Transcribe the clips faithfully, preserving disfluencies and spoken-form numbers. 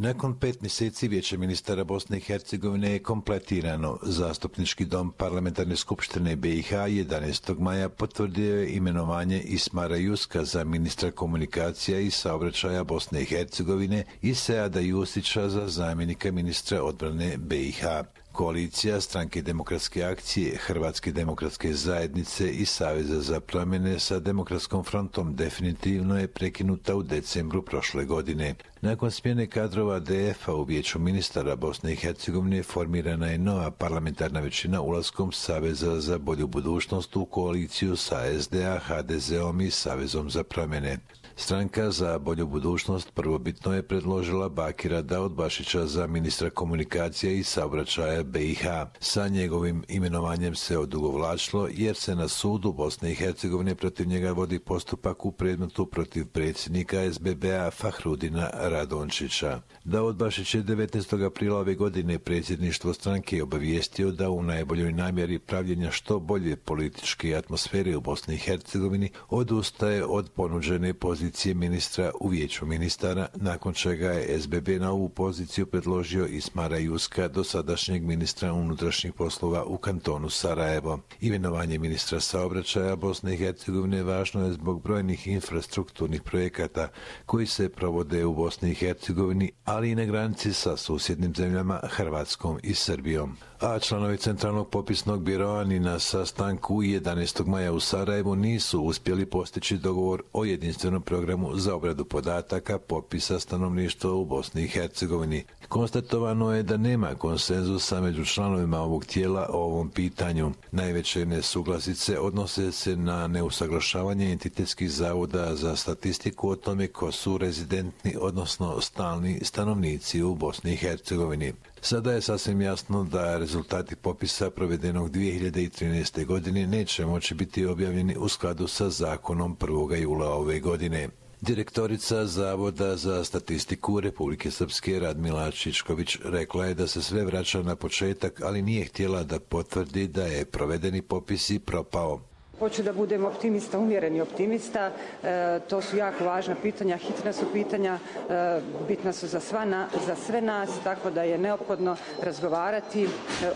Nakon pet mjeseci Vijeće ministara Bosne i Hercegovine je kompletirano. Zastupnički dom Parlamentarne skupštine B i H jedanaestog maja potvrdio je imenovanje Ismara Juska za ministra komunikacija i saobraćaja Bosne i Hercegovine i Seada Jusića za zamjenika ministra odbrane B i H. Koalicija Stranke demokratske akcije, Hrvatske demokratske zajednice i Saveza za promjene sa Demokratskom frontom definitivno je prekinuta u decembru prošle godine. Nakon smjene kadrova D F-a u Vijeću ministara Bosne i Hercegovine formirana je nova parlamentarna većina ulaskom Saveza za bolju budućnost u koaliciju sa S D A, H D Z-om i Savezom za promjene. Stranka za bolju budućnost prvobitno je predložila Bakira Daudbašića za ministra komunikacija i saobraćaja B i H. Sa njegovim imenovanjem se odugovlačilo jer se na sudu Bosne i Hercegovine protiv njega vodi postupak u predmetu protiv predsjednika S B B-a Fahrudina Radončića. Daudbašić je devetnaestog aprila ove godine predsjedništvo stranke obavijestio da u najboljoj namjeri pravljenja što bolje političke atmosfere u Bosni i Hercegovini odustaje od ponuđene pozicije ministra u Vijeću ministara, nakon čega je S B B na ovu poziciju predložio Ismara Juska, dosadašnjeg ministra unutrašnjih poslova u kantonu Sarajevo. Imenovanje ministra saobraćaja Bosne i Hercegovine važno je zbog brojnih infrastrukturnih projekata koji se provode u Bosni i Hercegovini, ali i na granici sa susjednim zemljama Hrvatskom i Srbijom. A članovi Centralnog popisnog biroa ni na sastanku jedanaestog maja u Sarajevu nisu uspjeli postići dogovor o jedinstvenom programu za obradu podataka popisa stanovništva u Bosni i Hercegovini. Konstatovano je da nema konsenzusa među članovima ovog tijela o ovom pitanju. Najveće nesuglasice odnose se na neusaglašavanje entitetskih zavoda za statistiku o tome ko su rezidentni, odnosno stalni stanovnici u Bosni i Hercegovini. Sada je sasvim jasno da rezultati popisa provedenog dvije hiljade trinaeste. godine neće moći biti objavljeni u skladu sa zakonom prvog jula ove godine. Direktorica Zavoda za statistiku Republike Srpske Radmila Čičković rekla je da se sve vraća na početak, ali nije htjela da potvrdi da je provedeni popis i propao. Hoću da budem optimista, umjereni optimista. E, to su jako važna pitanja, hitna su pitanja, e, bitna su za, sva na, za sve nas, tako da je neophodno razgovarati, e,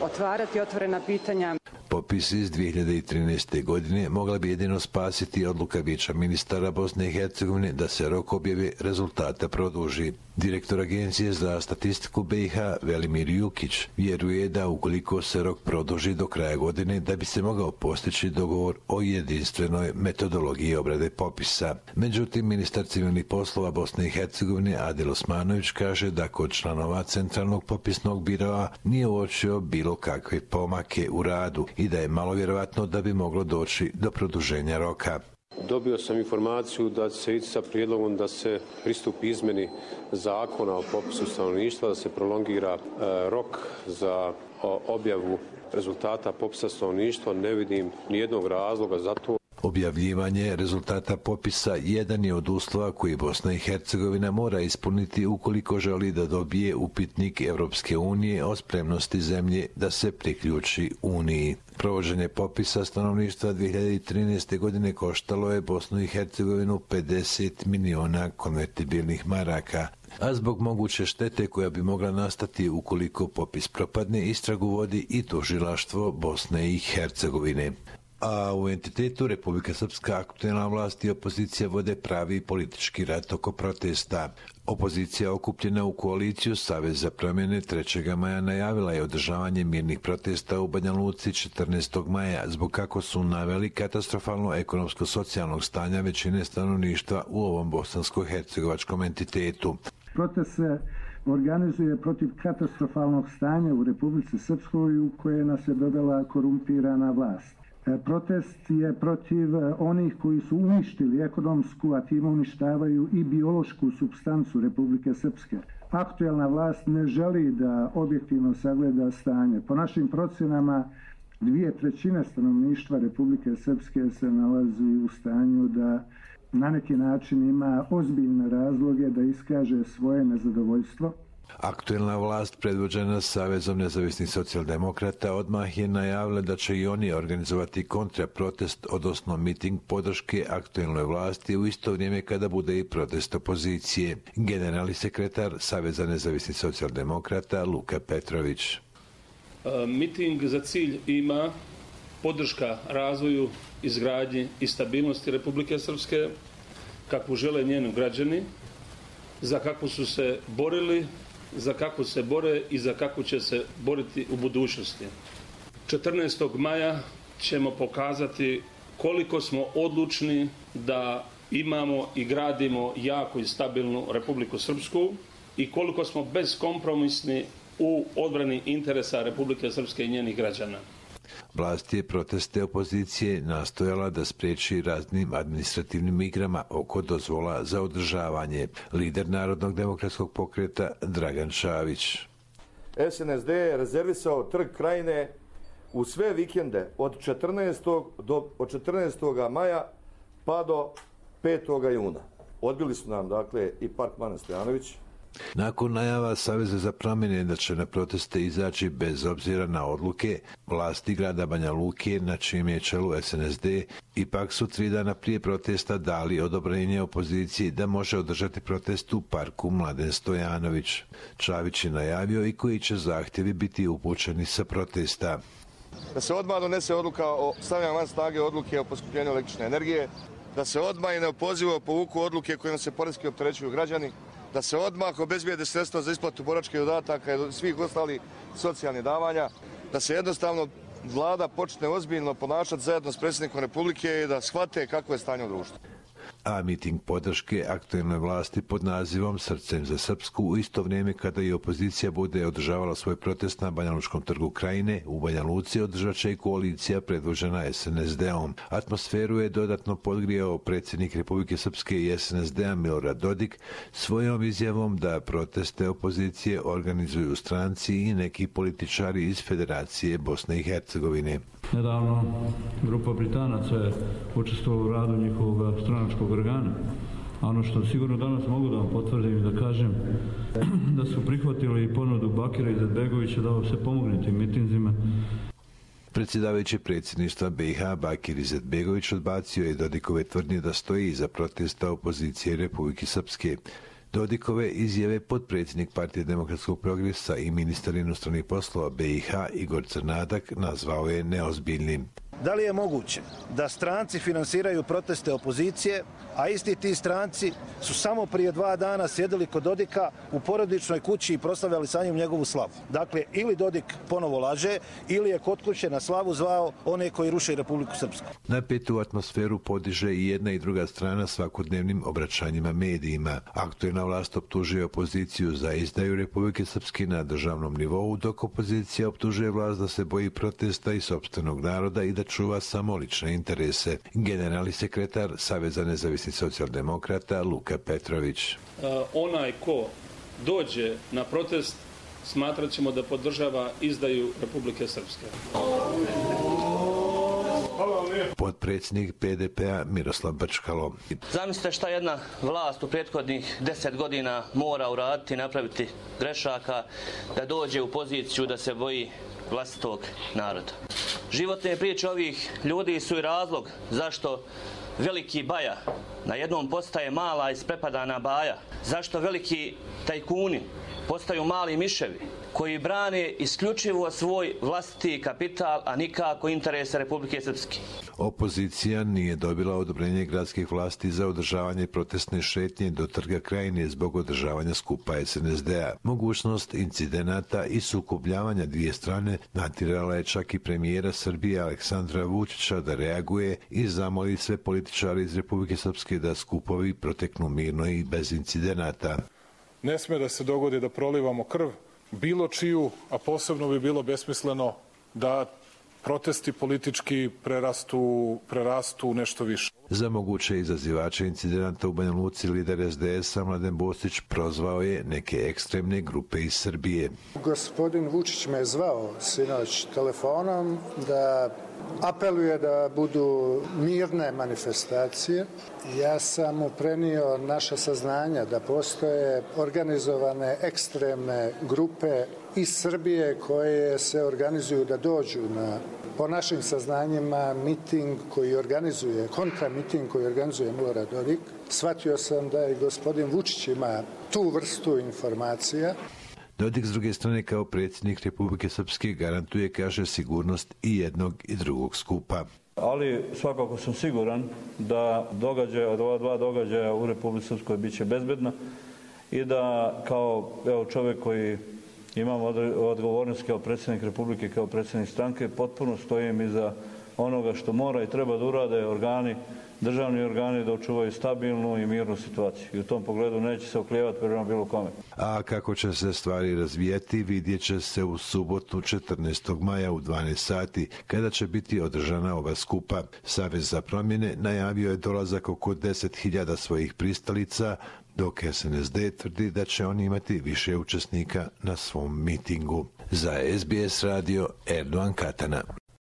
otvarati otvorena pitanja. Popis iz dvije hiljade trinaeste. godine mogla bi jedino spasiti odluka Vijeća ministara Bosne i Hercegovine da se rok objave rezultata produži. Direktor Agencije za statistiku B i H Velimir Jukić vjeruje da ukoliko se rok produži do kraja godine da bi se mogao postići dogovor o jedinstvenoj metodologiji obrade popisa. Međutim, ministar civilnih poslova Bosne i Hercegovine Adil Osmanović kaže da kod članova Centralnog popisnog biroa nije uočio bilo kakve pomake u radu i da je malo vjerovatno da bi moglo doći do produženja roka. Dobio sam informaciju da će se ići sa prijedlogom da se pristupi izmjeni zakona o popisu stanovništva, da se prolongira e, rok za o, objavu rezultata popisa stanovništva. Ne vidim nijednog razloga za to. Objavljivanje rezultata popisa jedan je od uslova koji Bosna i Hercegovina mora ispuniti ukoliko želi da dobije upitnik Europske unije o spremnosti zemlje da se priključi Uniji. Provođenje popisa stanovništva dvije hiljade trinaeste. godine koštalo je Bosnu i Hercegovinu pedeset miliona konvertibilnih maraka. A zbog moguće štete koja bi mogla nastati ukoliko popis propadne, istragu vodi i tužilaštvo Bosne i Hercegovine. A u entitetu Republika Srpska aktuelna vlast i opozicija vode pravi politički rat oko protesta. Opozicija okupljena u koaliciju Savez za promjene trećeg maja najavila je održavanje mirnih protesta u Banja Luci četrnaestog maja zbog, kako su naveli, katastrofalno ekonomsko-socijalnog stanja većine stanovništva u ovom bosansko-hercegovačkom entitetu. Protest se organizuje protiv katastrofalnog stanja u Republici Srpskoj u koje nas je dodala korumpirana vlast. Protest je protiv onih koji su uništili ekonomsku, a time uništavaju i biološku supstancu Republike Srpske. Aktuelna vlast ne želi da objektivno sagleda stanje. Po našim procjenama, dvije trećine stanovništva Republike Srpske se nalazi u stanju da na neki način ima ozbiljne razloge da iskaže svoje nezadovoljstvo Aktuelna vlast predvođena Savezom nezavisnih socijaldemokrata odmah je najavila da će i oni organizovati kontraprotest, odnosno miting podrške aktuelnoj vlasti u isto vrijeme kada bude i protest opozicije. Generalni sekretar Saveza nezavisnih socijaldemokrata Luka Petrović. Miting za cilj ima podrška razvoju, izgradnji i stabilnosti Republike Srpske, kakvu žele njeni građani, za kakvu su se borili, za kakvu se bore i za kakvu će se boriti u budućnosti. četrnaestog maja ćemo pokazati koliko smo odlučni da imamo i gradimo jaku i stabilnu Republiku Srpsku i koliko smo beskompromisni u odbrani interesa Republike Srpske i njenih građana. Vlast je proteste opozicije nastojala da spriječi raznim administrativnim igrama oko dozvola za održavanje. Lider Narodnog demokratskog pokreta Dragan Šavić. S N S D je rezervisao Trg Krajine u sve vikende od četrnaestog do od četrnaestog maja pa do petog juna. Odbili su nam dakle i Park Bana Stojanović. Nakon najava Saveza za promjene da će na proteste izaći bez obzira na odluke, vlasti grada Banja Luke, na čijem je čelu S N S D, ipak su tri dana prije protesta dali odobrenje opoziciji da može održati protest u parku Mladen Stojanović. Čavić je najavio i koji će zahtjevi biti upućeni sa protesta. Da se odmah donese odluka o stavljanju van snage odluke o poskupljenju električne energije, da se odmah i neopozivo povuku odluke kojima se poreski opterećuju građani, da se odmah obezbijede sredstva za isplatu boračkih dodataka i svih ostalih socijalnih davanja, da se jednostavno vlada počne ozbiljno ponašati zajedno s predsjednikom Republike i da shvate kako je stanje u društvu. A miting podrške aktuelnoj vlasti pod nazivom Srcem za Srpsku u isto vrijeme kada i opozicija bude održavala svoj protest na Banja Lučkom trgu Krajine, u Banja Luci održat će i koalicija predvođena S N S D-om. Atmosferu je dodatno podgrijao predsjednik Republike Srpske i S N S D-a Milorad Dodik svojom izjavom da proteste opozicije organizuju stranci i neki političari iz Federacije Bosne i Hercegovine. Nedavno grupa Britanaca je učestvovala u radu njihovog stranačkog organa. A ono što sigurno danas mogu da vam potvrdim i da kažem da su prihvatili ponudu Bakira Izetbegovića da se pomogne tim mitinzima. Predsjedavajući predsjedništva B i H Bakir Izetbegović odbacio je Dodikove tvrdnje da stoji iza protesta opozicije Republike Srpske. Dodikove izjave potpredsjednik Partije demokratskog progresa i ministar inostranih poslova B i H Igor Crnadak nazvao je neozbiljnim. Da li je moguće da stranci finansiraju proteste opozicije, a isti ti stranci su samo prije dva dana sjedili kod Dodika u porodičnoj kući i proslavljali sa njim njegovu slavu? Dakle, ili Dodik ponovo laže, ili je kod kuće na slavu zvao one koji ruše Republiku Srpsku. Napetu atmosferu podiže i jedna i druga strana svakodnevnim obraćanjima medijima. Aktuelna vlast optužuje opoziciju za izdaju Republike Srpske na državnom nivou, dok opozicija optužuje vlast da se boji protesta i sopstvenog naroda i da čuva samo lične interese. Generalni sekretar Saveza nezavisnih socijaldemokrata Luka Petrović. Uh, onaj ko dođe na protest smatrat ćemo da podržava izdaju Republike Srpske. Potpredsjednik P D P-a Miroslav Brčkalo. Zamislite šta jedna vlast u prethodnih deset godina mora uraditi, napraviti grešaka, da dođe u poziciju da se boji vlastitog naroda. Životne priče ovih ljudi su i razlog zašto veliki baja na jednom postaje mala isprepadana baja. Zašto veliki tajkuni postaju mali miševi koji brane isključivo svoj vlastiti kapital, a nikako interese Republike Srpske. Opozicija nije dobila odobrenje gradskih vlasti za održavanje protestne šetnje do Trga Krajine zbog održavanja skupa S N S D-a. Mogućnost incidenata i sukobljavanja dvije strane natjerala je čak i premijera Srbije Aleksandra Vučića da reaguje i zamoli sve političare iz Republike Srpske da skupovi proteknu mirno i bez incidenata. Ne sme da se dogodi da prolivamo krv bilo čiju, a posebno bi bilo besmisleno da protesti politički prerastu, prerastu nešto više. Za moguće izazivače incidenta u Banja Luci lider es de esa Mladen Bostić prozvao je neke ekstremne grupe iz Srbije. Gospodin Vučić me zvao sinoć telefonom da apeluje da budu mirne manifestacije. Ja sam mu prenio naša saznanja da postoje organizovane ekstremne grupe iz Srbije koje se organizuju da dođu na, po našim saznanjima, miting koji organizuje, kontramiting koji organizuje Milorad Dodik. Shvatio sam da i gospodin Vučić ima tu vrstu informacija. Dodik s druge strane kao predsjednik Republike Srpske garantuje, kaže, sigurnost i jednog i drugog skupa. Ali svakako sam siguran da događaja, od ova dva događaja u Republici Srpskoj bit će bezbedna i da kao evo, čovjek koji imam odgovornost kao predsjednik Republike, kao predsjednik stranke, potpuno stojim iza onoga što mora i treba da urade organi, državni organi, da očuvaju stabilnu i mirnu situaciju. I u tom pogledu neće se oklijevati prema bilo kome. A kako će se stvari razvijeti, vidjet će se u subotu četrnaestog maja u dvanaest sati, kada će biti održana ova skupa. Savez za promjene najavio je dolazak oko deset hiljada svojih pristalica, dok es en es de tvrdi da će oni imati više učesnika na svom mitingu. Za es be es radio, Erdogan Katana.